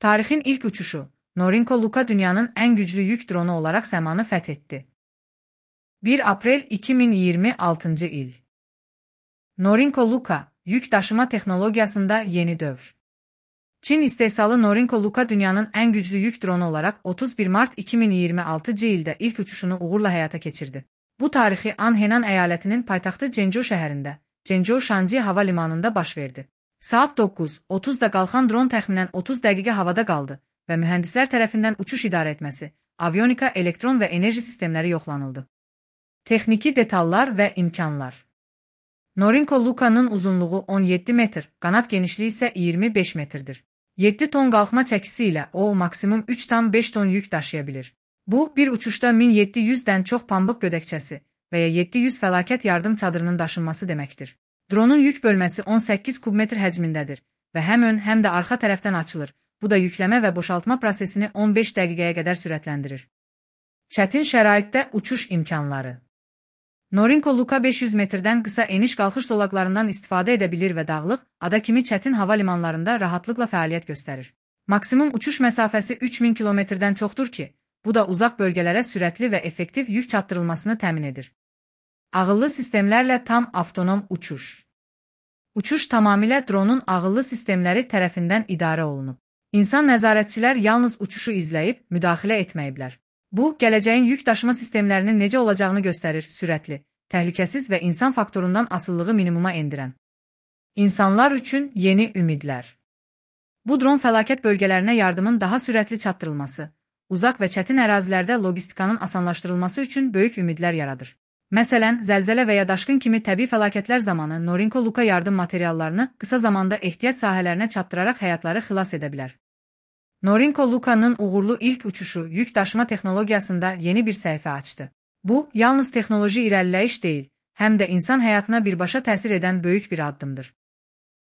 Tarixin ilk uçuşu, Norinco Luka dünyanın en güçlü yük dronu olarak səmanı fethetti. 1 April 2026 il. Norinco Luka, yük taşıma teknolojisinde yeni dövr. Çin istehsalı Norinco Luka dünyanın en güçlü yük dronu olarak 31 Mart 2026 ildə ilk uçuşunu uğurla həyata keçirdi. Bu tarixi an Henan eyaletinin paytaxtı Zhengzhou şəhərində, Zhengzhou Shanji hava limanında baş verdi. Saat 9:30-da qalxan dron təxminən 30 dəqiqə havada qaldı və mühəndislər tərəfindən uçuş idarə etməsi, avionika, elektron və enerji sistemləri yoxlanıldı. Texniki detallar və imkanlar. Norinco Luka'nın uzunluğu 17 metr, qanat genişliyi isə 25 metrdir. 7 ton qalxma çəkisi ilə o maksimum 3,5 ton yük daşıya bilir. Bu, bir uçuşda 1700-dən çox pambıq gödəkçəsi və ya 700 fəlakət yardım çadırının daşınması deməkdir. Dronun yük bölməsi 18 kubmetr həcmindədir və həm ön, həm də arxa tərəfdən açılır. Bu da yükləmə və boşaltma prosesini 15 dəqiqəyə qədər sürətləndirir. Çətin şəraitdə uçuş imkanları. Norinco Luka 500 metrdən qısa eniş-qalxış zolaqlarından istifadə edə bilir və dağlıq, ada kimi çətin hava limanlarında rahatlıqla fəaliyyət göstərir. Maksimum uçuş məsafəsi 3000 kilometrdən çoxdur ki, bu da uzaq bölgələrə sürətli və effektiv yük çatdırılmasını təmin edir. Ağıllı sistemlərlə tam avtonom uçuş. Uçuş tamamilə dronun ağıllı sistemləri tərəfindən idarə olunub. İnsan nəzarətçilər yalnız uçuşu izləyib, müdaxilə etməyiblər. Bu, gələcəyin yük daşıma sistemlərinin necə olacağını göstərir, sürətli, təhlükəsiz və insan faktorundan asılılığı minimuma endirən. İnsanlar üçün yeni ümidlər. Bu dron fəlakət bölgələrinə yardımın daha sürətli çatdırılması, uzaq və çətin ərazilərdə logistikanın asanlaşdırılması üçün böyük ümidlər yaradır. Məsələn, zəlzələ və ya daşqın kimi təbii fəlakətlər zamanı Norinco Luka yardım materiallarını qısa zamanda ehtiyac sahələrinə çatdıraraq həyatları xilas edə bilər. Norinco Luka'nın uğurlu ilk uçuşu yük daşıma texnologiyasında yeni bir səhifə açdı. Bu, yalnız texnoloji irəliləyiş deyil, həm də insan həyatına birbaşa təsir edən böyük bir addımdır.